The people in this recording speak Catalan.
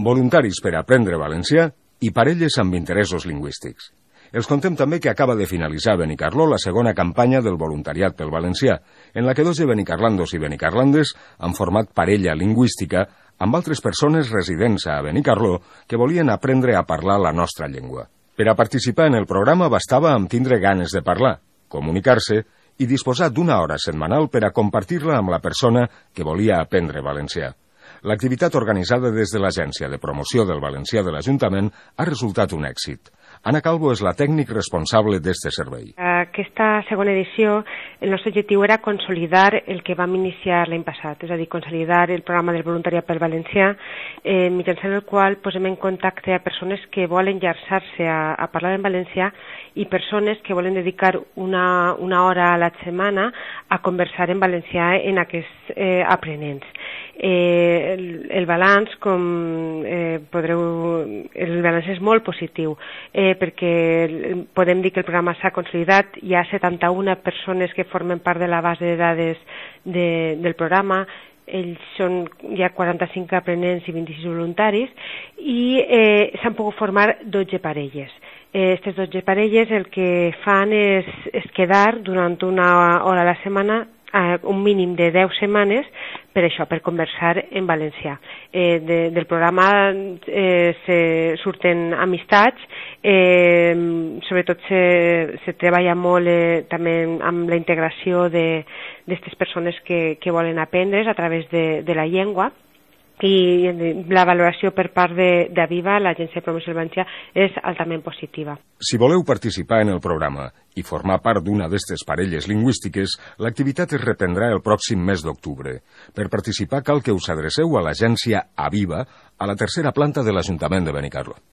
voluntaris per aprendre valencià i parelles amb interessos lingüístics. Els contem també que acaba de finalitzar a Benicarló la segona campanya del voluntariat pel valencià, en la que 2 de benicarlandos i benicarlandes han format parella lingüística amb altres persones residents a Benicarló que volien aprendre a parlar la nostra llengua. Per a participar en el programa bastava amb tindre ganes de parlar, comunicar-se i disposar d'una hora setmanal per a compartir-la amb la persona que volia aprendre valencià. L'activitat organitzada des de l'Agència de Promoció del Valencià de l'Ajuntament ha resultat un èxit. Anna Calvo és la tècnic responsable d'este servei. Aquesta segona edició, el nostre objectiu era consolidar el que vam iniciar l'any passat, és a dir, consolidar el programa del voluntariat pel valencià, mitjançant el qual posem en contacte a persones que volen llançar-se a parlar en valencià i persones que volen dedicar una hora a la setmana a conversar en valencià en aquests aprenents. El balanç, el balanç és molt positiu, perquè podem dir que el programa s'ha consolidat, hi ha 71 persones que formen part de la base de dades del programa, hi ha 45 aprenents i 26 voluntaris, i s'han pogut formar 12 parelles. Aquestes 12 parelles el que fan és quedar durant una hora a la setmana, un mínim de 10 setmanes, per això, per conversar en valencià. Del programa surten amistats, sobretot se treballa molt també amb la integració d'aquestes persones que volen aprendre a través de la llengua, i la valoració per part d'Aviva, l'Agència de Promoció del Valencià, és altament positiva. Si voleu participar en el programa i formar part d'una d'estes parelles lingüístiques, l'activitat es reprendrà el pròxim mes d'octubre. Per participar cal que us adreceu a l'agència Aviva, a la tercera planta de l'Ajuntament de Benicarló.